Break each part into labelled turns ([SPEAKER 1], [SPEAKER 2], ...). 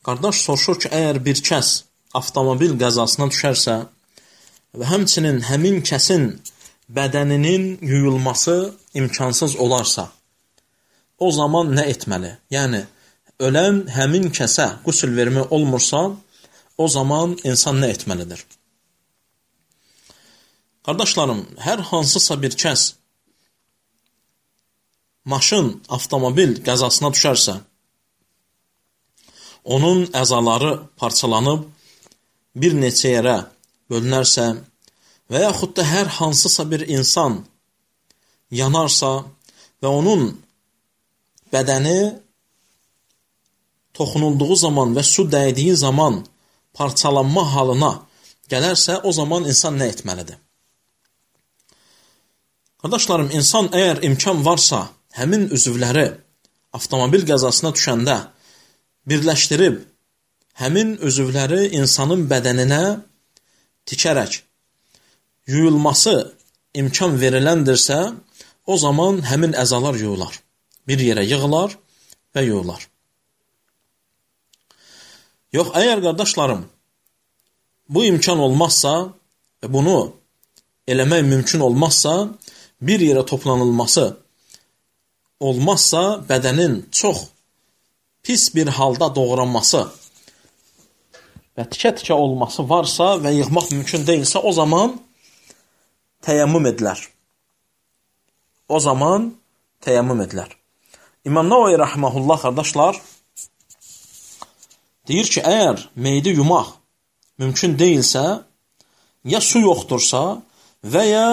[SPEAKER 1] Qardaş soruşur ki, əgər bir kəs avtomobil qəzasına düşərsə və həmçinin həmin kəsin bədəninin yuyulması imkansız olarsa, o zaman nə etməli? Yəni, ölən həmin kəsə qüsl vermək olmursa, o zaman insan nə etməlidir? Qardaşlarım, hər hansısa bir kəs maşın, avtomobil qəzasına düşərsə, onun əzaları parçalanıb bir neçə yerə bölünərsə və yaxud da hər hansısa bir insan yanarsa və onun bədəni toxunulduğu zaman və su dəydiyi zaman parçalanma halına gələrsə, o zaman insan nə etməlidir? Qardaşlarım, insan əgər imkan varsa, həmin üzvləri avtomobil qəzasına düşəndə birləşdirib, həmin üzvləri insanın bədəninə tikərək yuyulması imkan veriləndirsə, o zaman həmin əzalar yuyular. Bir yerə yığılar və yuyular. Yox, əgər qardaşlarım, bu imkan olmazsa və bunu eləmək mümkün olmazsa, bir yerə toplanılması olmazsa, bədənin çox pis bir halda doğranması və tikə-tikə olması varsa və yığmaq mümkün deyilsə, o zaman təyəmmüm edilər. O zaman təyəmmüm edilər. İmam Nəvavi rəhməhullah, qardaşlar, deyir ki, əgər meyidi yumaq mümkün deyilsə, ya su yoxdursa və ya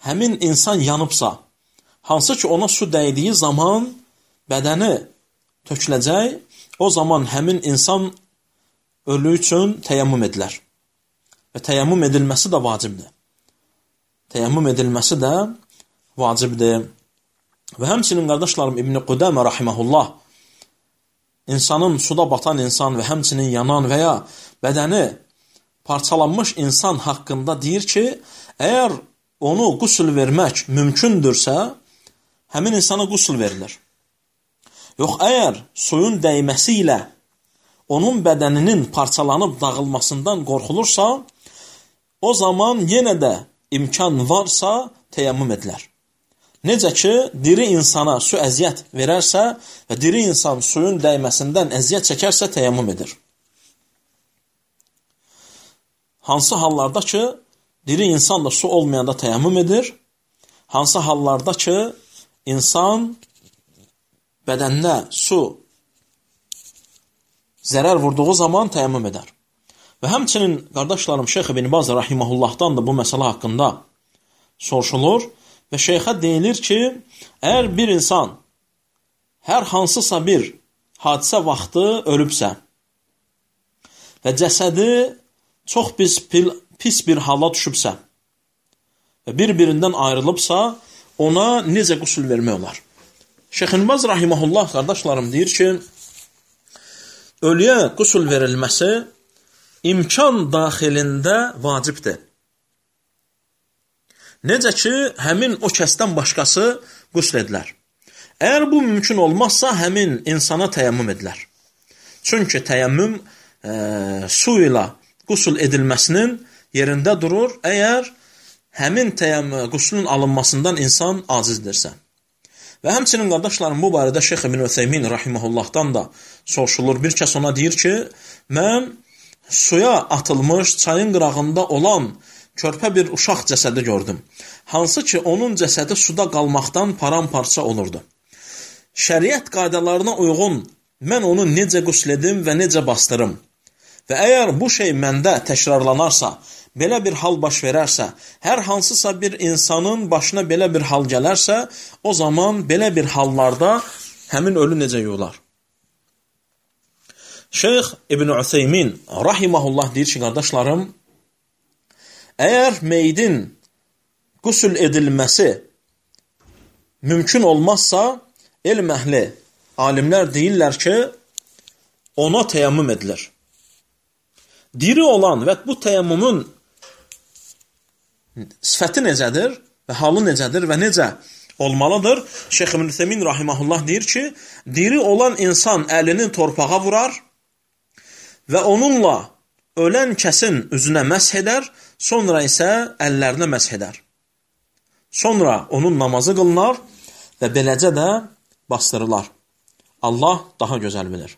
[SPEAKER 1] həmin insan yanıbsa, hansı ki ona su dəydiyi zaman bədəni töküləcək, o zaman həmin insan ölü üçün təyəmmüm edilər. Və təyəmmüm edilməsi də vacibdir. Təyəmmüm edilməsi də vacibdir. Və həmçinin qardaşlarım İbn-i Qudəmə rahiməhullah, insanın suda batan insan və həmçinin yanan və ya bədəni parçalanmış insan haqqında deyir ki, əgər onu qüsl vermək mümkündürsə, həmin insana qüsl verilir. Yox, əgər suyun dəyməsi ilə onun bədəninin parçalanıb dağılmasından qorxulursa, o zaman yenə də imkan varsa təyəmmüm edilər. Necə ki, diri insana su əziyyət verərsə və diri insan suyun dəyməsindən əziyyət çəkərsə təyəmmüm edir. Hansı hallarda ki, diri insan da su olmayanda təyəmmüm edir, hansı hallarda ki, insan bədəninə su zərər vurduğu zaman təyəmmüm edər. Və həmçinin, qardaşlarım, Şeyx İbn Baz rahiməhullahdan da bu məsələ haqqında soruşulur və şeyxə deyilir ki, əgər bir insan hər hansısa bir hadisə vaxtı ölübsə və cəsədi çox pis bir hala düşübsə və bir-birindən ayrılıbsa, ona necə qüsl vermək olar? Şeyx İbn Baz rahimehullah, qardaşlarım, deyir ki, ölüyə qüsl verilməsi imkan daxilində vacibdir. Necə ki, həmin o kəsdən başqası qüsl edilər. Əgər bu mümkün olmazsa, həmin insana təyəmmüm edilər. Çünki təyəmmüm su ilə qüsl edilməsinin yerində durur, əgər həmin qüslün alınmasından insan acizdirsə. Və həmçinin, qardaşlarım, bu barədə Şeyx İbn Ütheymin rahiməhullahdan da soruşulur. Bir kəs ona deyir ki, mən suya atılmış, çayın qırağında olan körpə bir uşaq cəsədi gördüm. Hansı ki, onun cəsədi suda qalmaqdan paramparça olurdu. Şəriət qaydalarına uyğun mən onu necə qüsl edim və necə bastırım? Və əgər bu şey məndə təkrarlanarsa, belə bir hal baş verərsə, hər hansısa bir insanın başına belə bir hal gələrsə, o zaman belə bir hallarda həmin ölü necə yuyular? Şeyx İbn Ütheymin rahimehullah deyir ki, qardaşlarım, əgər meyidin qüsl edilməsi mümkün olmazsa, elm əhli, alimlər deyirlər ki, ona təyəmmüm edilir. Diri olan və bu təyəmmümün sifəti necədir və halı necədir və necə olmalıdır? Şeyx İbn Ütheymin rahimehullah deyir ki, diri olan insan əlini torpağa vurar və onunla ölən kəsin üzünə məsh edər, sonra isə əllərinə məsh edər. Sonra onun namazı qılınar və beləcə də bastırılar. Allah daha gözəl bilir.